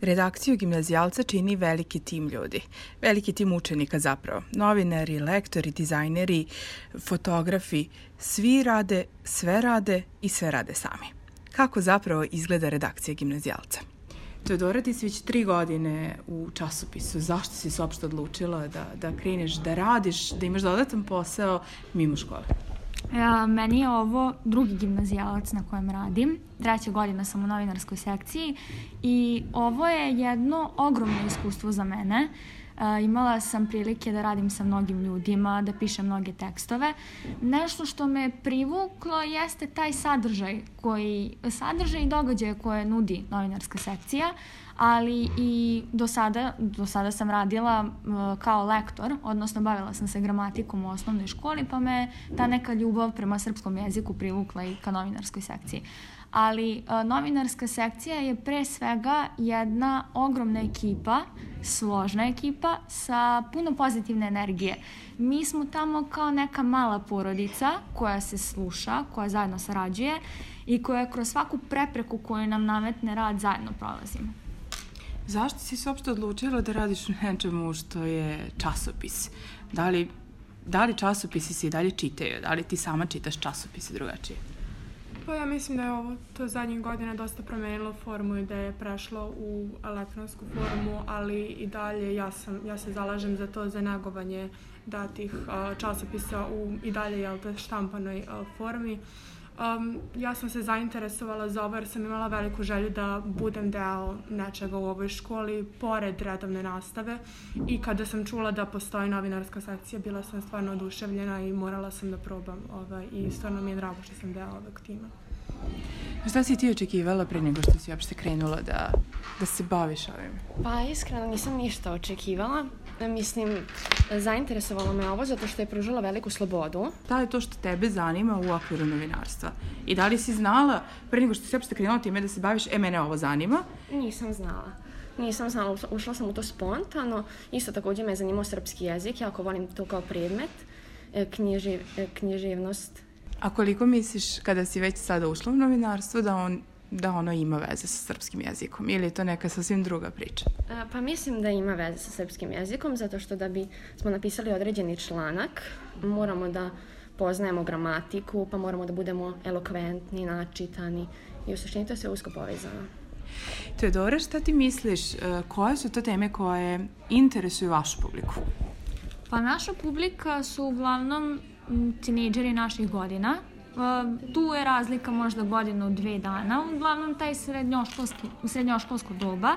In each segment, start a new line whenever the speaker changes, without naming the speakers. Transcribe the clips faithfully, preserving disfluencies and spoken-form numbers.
Redakciju Gimnazijalca čini veliki tim ljudi, veliki tim učenika zapravo. Novinari, lektori, dizajneri, fotografi, svi rade, sve rade i sve rade sami. Kako zapravo izgleda redakcija Gimnazijalca? Teodora, ti si već tri godine u časopisu. Zašto si se uopšte odlučila da, da kreneš, da radiš, da imaš dodatan posao mimo škole?
Ja, meni je ovo drugi gimnazijalac na kojem radim. Treća godina sam u novinarskoj sekciji i ovo je jedno ogromno iskustvo za mene. E, imala sam prilike da radim sa mnogim ljudima, da pišem mnoge tekstove. Nešto što me privuklo jeste taj sadržaj, koji, sadržaj i događaje koje nudi novinarska sekcija, ali i do sada, do sada sam radila uh, kao lektor, odnosno bavila sam se gramatikom u osnovnoj školi, pa me ta neka ljubav prema srpskom jeziku privukla i ka novinarskoj sekciji. Ali uh, novinarska sekcija je pre svega jedna ogromna ekipa, složna ekipa sa puno pozitivne energije. Mi smo tamo kao neka mala porodica koja se sluša, koja zajedno sarađuje i koja kroz svaku prepreku koju nam nametne rad zajedno prolazimo.
Zašto si se uopšte odlučila da radiš u nečemu što je časopis? Da li, da li časopisi se i dalje čitaju? Da li ti sama čitaš časopise drugačije?
Pa ja mislim da je ovo to zadnjih godina dosta promenilo formu i da je prešlo u elektronsku formu, ali i dalje ja, sam, ja se zalažem za to, za negovanje datih uh, časopisa u i dalje jel, štampanoj uh, formi. Um, ja sam se zainteresovala za ovo jer sam imala veliku želju da budem deo nečega u ovoj školi pored redovne nastave i kada sam čula da postoji novinarska sekcija bila sam stvarno oduševljena i morala sam da probam ovaj, i stvarno mi je drago što sam deo ovog tima.
Šta si ti očekivala pre nego što si uopšte krenula da, da se baviš ovim?
Pa iskreno nisam ništa očekivala. Mislim, zainteresovalo me ovo zato što je pružila veliku slobodu.
Da li je to što tebe zanima u okviru novinarstva? I da li si znala pre nego što si uopšte krenula time da se baviš, e, mene ovo zanima?
Nisam znala. Nisam znala, ušla sam u to spontano. Isto također me zanimao srpski jezik, jako volim to kao predmet, knjiživ, književnost.
A koliko misliš, kada si već sada ušla u novinarstvo, da, on, da ono ima veze sa srpskim jezikom? Ili je to neka sasvim druga priča?
Pa mislim da ima veze sa srpskim jezikom, zato što da bi smo napisali određeni članak, moramo da poznajemo gramatiku, pa moramo da budemo elokventni, načitani i u suštini to je sve usko povezano.
Teodora, šta ti misliš, koje su to teme koje interesuju vašu publiku?
Pa naša publika su uglavnom tinejdžeri naših godina. Tu je razlika možda godinu, dve dana, uglavnom taj srednjoškolski, srednjoškolsko doba.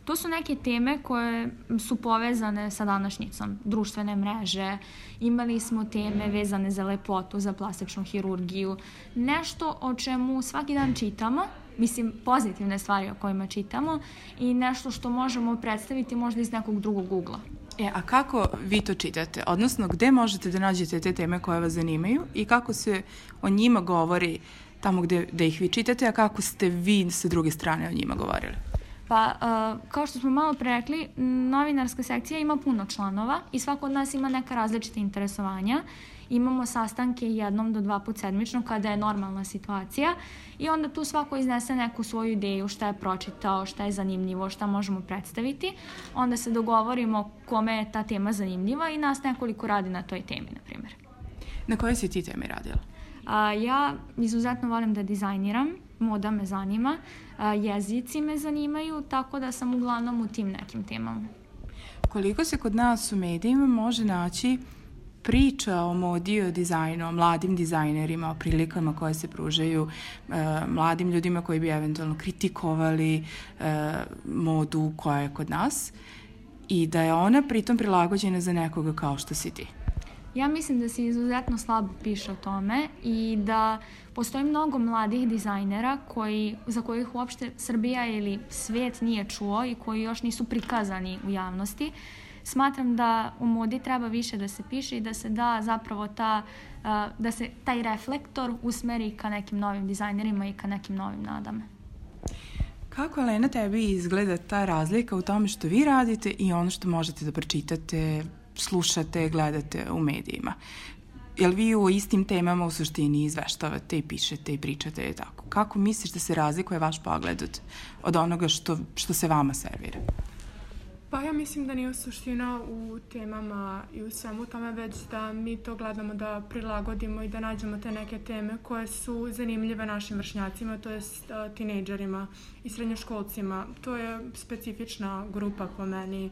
To su neke teme koje su povezane sa današnjicom, društvene mreže, imali smo teme vezane za lepotu, za plastičnu hirurgiju, nešto o čemu svaki dan čitamo, mislim pozitivne stvari o kojima čitamo i nešto što možemo predstaviti možda iz nekog drugog ugla.
E, a kako vi to čitate? Odnosno, gde možete da nađete te teme koje vas zanimaju i kako se o njima govori tamo gde, gde ih vi čitate, a kako ste vi sa druge strane o njima govorili?
Pa, uh, kao što smo malo prerekli, novinarska sekcija ima puno članova i svako od nas ima neka različita interesovanja. Imamo sastanke jednom do dva put sedmično kada je normalna situacija i onda tu svako iznese neku svoju ideju, šta je pročitao, šta je zanimljivo, šta možemo predstaviti. Onda se dogovorimo kome je ta tema zanimljiva i nas nekoliko radi na toj temi, na primjer.
Na kojoj si ti temi radila?
A, ja izuzetno volim da dizajniram, moda me zanima, a, jezici me zanimaju, tako da sam uglavnom u tim nekim temama.
Koliko se kod nas u medijima može naći priča o modi, o dizajnu, o mladim dizajnerima, o prilikama koje se pružaju e, mladim ljudima koji bi eventualno kritikovali e, modu koja je kod nas i da je ona pritom prilagođena za nekoga kao što si ti?
Ja mislim da se izuzetno slabo piše o tome i da postoji mnogo mladih dizajnera koji, za kojih uopšte Srbija ili svijet nije čuo i koji još nisu prikazani u javnosti. Smatram da u modi treba više da se piše i da se da zapravo ta, da se taj reflektor usmeri ka nekim novim dizajnerima i ka nekim novim nadama.
Kako, Elena, tebi izgleda ta razlika u tome što vi radite i ono što možete da pročitate, slušate, gledate u medijima? jel vi u istim temama u suštini izveštavate i pišete i pričate i tako? Kako misliš da se razlikuje vaš pogled od, od onoga što, što se vama servira?
Pa ja mislim da nije suština u temama i u svemu tome, već da mi to gledamo da prilagodimo i da nađemo te neke teme koje su zanimljive našim vršnjacima, to je tinejdžerima i srednjoškolcima. To je specifična grupa po meni,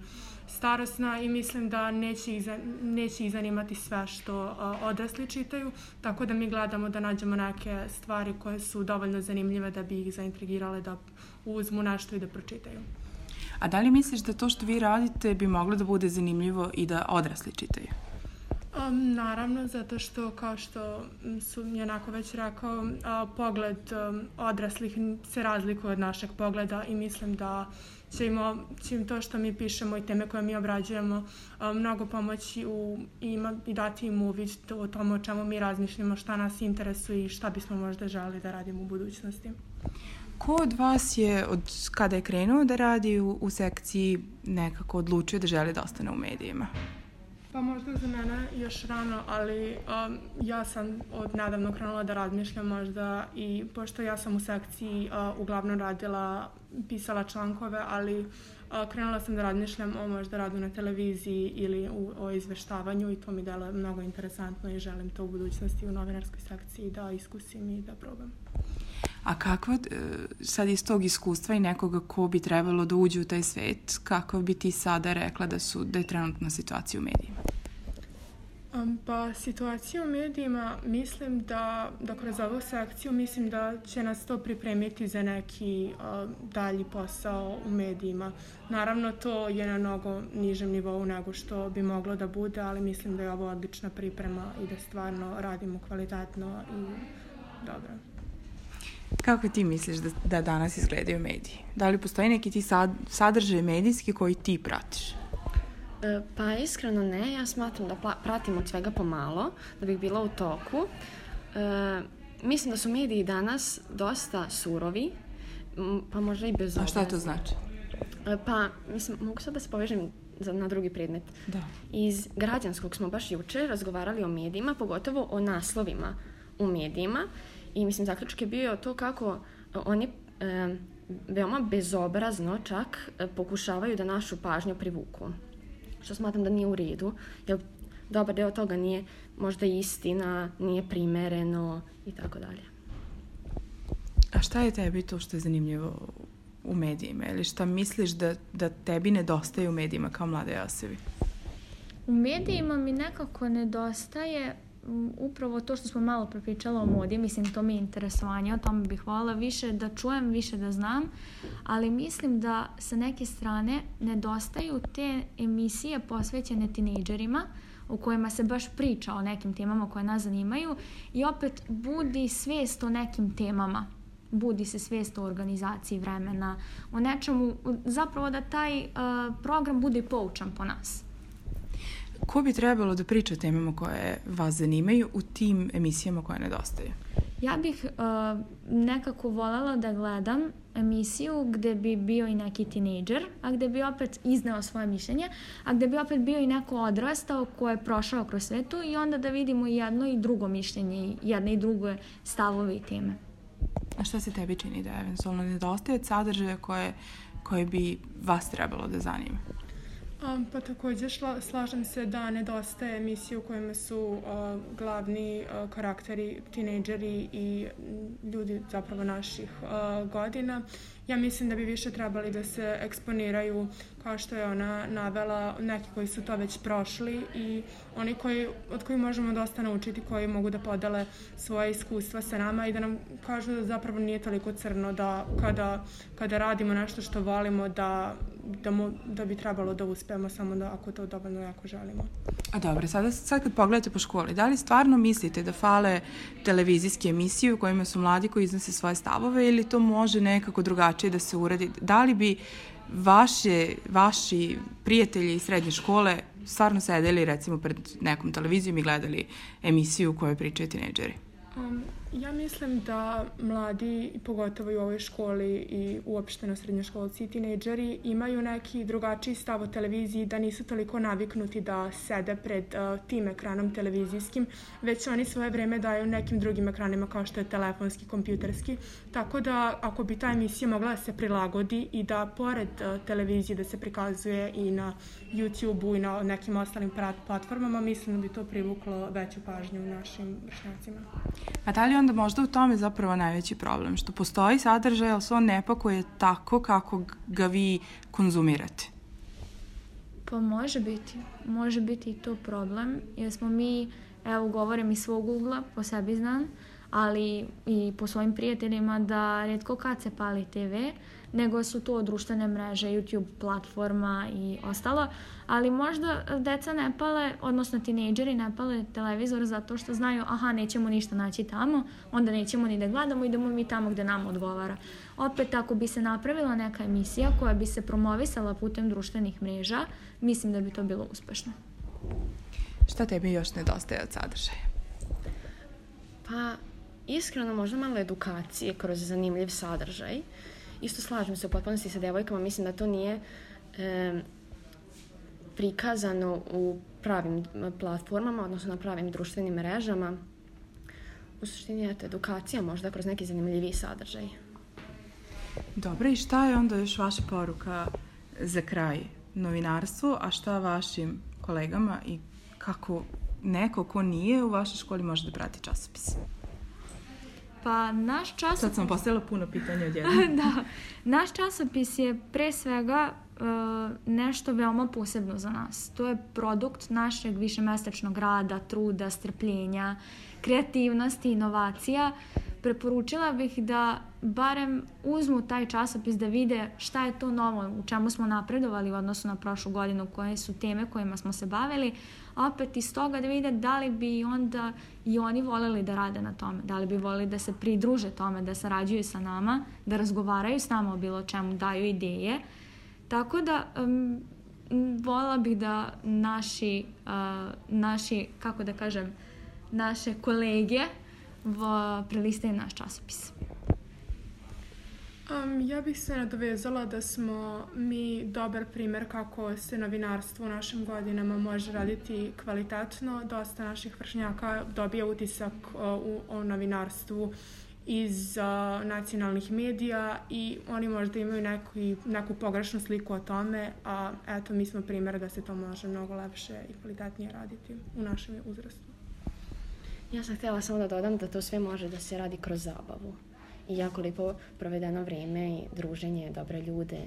starosna, i mislim da neće ih, neće ih zanimati sve što odrasli čitaju, tako da mi gledamo da nađemo neke stvari koje su dovoljno zanimljive da bi ih zaintrigirale da uzmu nešto i da pročitaju.
A da li misliš da to što vi radite bi moglo da bude zanimljivo i da odrasli čitaju?
Um, naravno, zato što, kao što su mi onako već rekao, uh, pogled um, odraslih se razlikuje od našeg pogleda i mislim da će im, će im to što mi pišemo i teme koje mi obrađujemo uh, mnogo pomoći u, ima, i dati im uvid o tome o čemu mi razmišljamo, šta nas interesuje i šta bismo možda želeli da radimo u budućnosti.
Ko od vas je, od kada je krenuo da radi u, u sekciji, nekako odlučio da želi da ostane u medijima?
Pa možda za mene još rano, ali um, ja sam od nedavno krenula da razmišljam možda, i pošto ja sam u sekciji uh, uglavnom radila, pisala člankove, ali uh, krenula sam da razmišljam o možda radu na televiziji ili u, o izveštavanju, i to mi deluje mnogo interesantno i želim to u budućnosti u novinarskoj sekciji da iskusim i da probam.
A kakva, sad iz tog iskustva i nekoga ko bi trebalo da uđe u taj svet, kako bi ti sada rekla da, su, da je trenutna situacija u medijima?
Um, pa situacija u medijima, mislim da, da kroz ovu sekciju, mislim da će nas to pripremiti za neki uh, dalji posao u medijima. Naravno, to je na mnogo nižem nivou nego što bi moglo da bude, ali mislim da je ovo odlična priprema i da stvarno radimo kvalitetno i dobro.
Kako ti misliš da, da danas izgledaju mediji? Da li postoji neki ti sad, sadržaj medijski koji ti pratiš?
E, pa iskreno ne, ja smatram da pratim od svega pomalo, da bih bila u toku. E, mislim da su mediji danas dosta surovi, pa možda i bezobrazni.
A šta to znači?
E, pa, mislim, mogu sad da se povežem za, na drugi predmet.
Da.
Iz Građanskog smo baš juče razgovarali o medijima, pogotovo o naslovima u medijima. I mislim, zaključak je bio to kako oni e, veoma bezobrazno čak e, pokušavaju da našu pažnju privuku. Što smatram da nije u redu, jer dobar deo toga nije možda istina, nije primereno i tako dalje.
A šta je tebi to što je zanimljivo u medijima? Ili šta misliš da, da tebi nedostaje u medijima kao mlade osobi?
U medijima mi nekako nedostaje upravo to što smo malo prepričala o modi, mislim to mi je interesovanje, o tome bih voljela više da čujem, više da znam, ali mislim da sa neke strane nedostaju te emisije posvećene tinejdžerima u kojima se baš priča o nekim temama koje nas zanimaju i opet budi svijest o nekim temama. Budi se svijest o organizaciji vremena, o nečemu, zapravo da taj uh, program bude poučan po nas.
Ko bi trebalo da priča o temama koje vas zanimaju u tim emisijama koje nedostaju?
Ja bih uh, nekako voljela da gledam emisiju gde bi bio i neki tinejdžer, a gde bi opet izneo svoje mišljenje, a gde bi opet bio i neko odrastao ko je prošao kroz svetu i onda da vidimo jedno i drugo mišljenje, jedne i druge stavove i teme.
A šta se tebi čini da eventualno nedostaje sadržaja koje, koje bi vas trebalo da zanima?
Um, pa također šla, slažem se da nedostaje emisije u kojima su uh, glavni uh, karakteri tinejdžeri i ljudi zapravo naših uh, godina. Ja mislim da bi više trebali da se eksponiraju, kao što je ona navela, neki koji su to već prošli i oni koji, od kojih možemo dosta naučiti, koji mogu da podele svoje iskustva sa nama i da nam kažu da zapravo nije toliko crno, da kada, kada radimo nešto što volimo, da, da, mo, da bi trebalo da uspemo, samo da ako to dovoljno jako želimo.
A dobro, sada, sad kad pogledate po školi, da li stvarno mislite da fale televizijske emisije u kojima su mladi koji iznose svoje stavove ili to može nekako drugačije da se uradi? Da li bi vaše, vaši prijatelji iz srednje škole stvarno sedeli recimo pred nekom televizijom i gledali emisiju u kojoj pričaju tinejdžeri?
Um, Ja mislim da mladi, pogotovo i u ovoj školi i uopšteno srednjoškolci i tinejdžeri, imaju neki drugačiji stav o televiziji, da nisu toliko naviknuti da sede pred uh, tim ekranom televizijskim, već oni svoje vreme daju nekim drugim ekranima kao što je telefonski, kompjuterski. Tako da ako bi ta emisija mogla da se prilagodi i da pored uh, televizije da se prikazuje i na YouTube-u i na nekim ostalim platformama, mislim da bi to privuklo veću pažnju našim vršnjacima.
Pa da li onda možda u tome zapravo najveći problem? Što postoji sadržaj, ali se on ne pakuje tako kako ga vi konzumirate?
Pa može biti. Može biti i to problem, jer smo mi, evo govorim iz svog ugla, po sebi znam, ali i po svojim prijateljima da rijetko kad se pali te ve, nego su to društvene mreže, YouTube platforma i ostalo, ali možda deca ne pale, odnosno tinejdžeri ne pale televizor zato što znaju, aha, nećemo ništa naći tamo, onda nećemo ni da gledamo, idemo mi tamo gde nam odgovara. Opet, ako bi se napravila neka emisija koja bi se promovisala putem društvenih mreža, mislim da bi to bilo uspešno.
Šta tebi još nedostaje od sadržaja?
Pa, iskreno, možda malo edukacije kroz zanimljiv sadržaj. Isto slažem se u potpunosti sa devojkama, mislim da to nije e, prikazano u pravim platformama, odnosno na pravim društvenim mrežama. U suštini je to edukacija možda kroz neki zanimljiviji sadržaj.
Dobro, i šta je onda još vaša poruka za kraj novinarstvu, a šta vašim kolegama i kako neko ko nije u vašoj školi može da prati časopis?
Pa naš časopis...
Sad sam postavila puno pitanja odjedno.
Da. Naš časopis je pre svega uh, nešto veoma posebno za nas. To je produkt našeg višemesečnog rada, truda, strpljenja, kreativnosti, inovacija. Preporučila bih da barem uzmu taj časopis da vide šta je to novo, u čemu smo napredovali u odnosu na prošlu godinu, koje su teme kojima smo se bavili, a opet iz toga da vide da li bi onda i oni voljeli da rade na tome, da li bi voljeli da se pridruže tome, da sarađuju sa nama, da razgovaraju s nama o bilo čemu, daju ideje. Tako da um, voljela bih da naši, uh, naši, kako da kažem, naše kolege prelistaju naš časopis.
Um, ja bih se nadovezala da smo mi dobar primjer kako se novinarstvo u našim godinama može raditi kvalitetno. Dosta naših vršnjaka dobija utisak uh, u, o novinarstvu iz uh, nacionalnih medija i oni možda imaju neku, neku pogrešnu sliku o tome, a eto, mi smo primjer da se to može mnogo lepše i kvalitetnije raditi u našem uzrastu.
Ja sam htjela samo da dodam da to sve može da se radi kroz zabavu. I jako lijepo provedeno vrijeme i druženje, dobre ljude